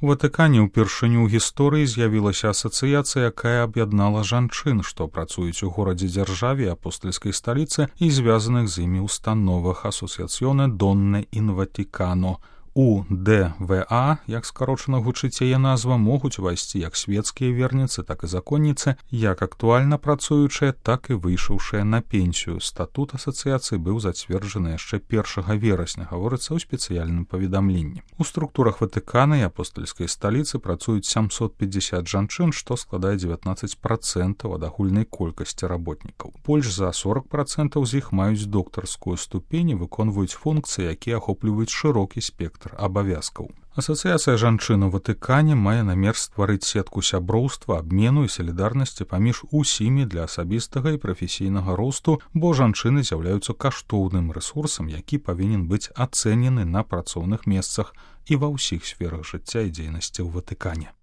У Ватыкане ўпершыню ў гісторыі з'явілася асацыяцыя, якая аб'яднала жанчын, што працуюць у горадзе-дзяржаве апостальскай сталіцы і звязаных з імі установах Асоціаціоне Донне ін Ватикано. УДВА, як скарочана гучыць яе назва, могуць увайсці як свецкія верніцы, так і законніцы, як актуальна працуючыя, так і выйшаўшыя на пенсію. Статут асацыяцыі быў зацверджаны яшчэ 1 верасня, гаворыцца ў спецыяльным паведамленні. У структурах Ватыкана і апостальскай сталіцы працуюць 750 жанчын, што складае 19% ад агульнай колькасці работнікаў. Больш за 40% з іх маюць доктарскую ступень і выконваюць функцыі, якія ахопліваюць шырокі спектр абавязкаў. Асацыяцыя жанчын у Ватыкане мае намер стварыць сетку сяброўства, абмену і салідарнасці паміж усімі для асабістага і прафесійнага росту, бо жанчыны з'яўляюцца каштоўным рэсурсам, які павінен быць ацэнены на працоўных месцах і ва ўсіх сферах жыцця і дзейнасці ў Ватыкане.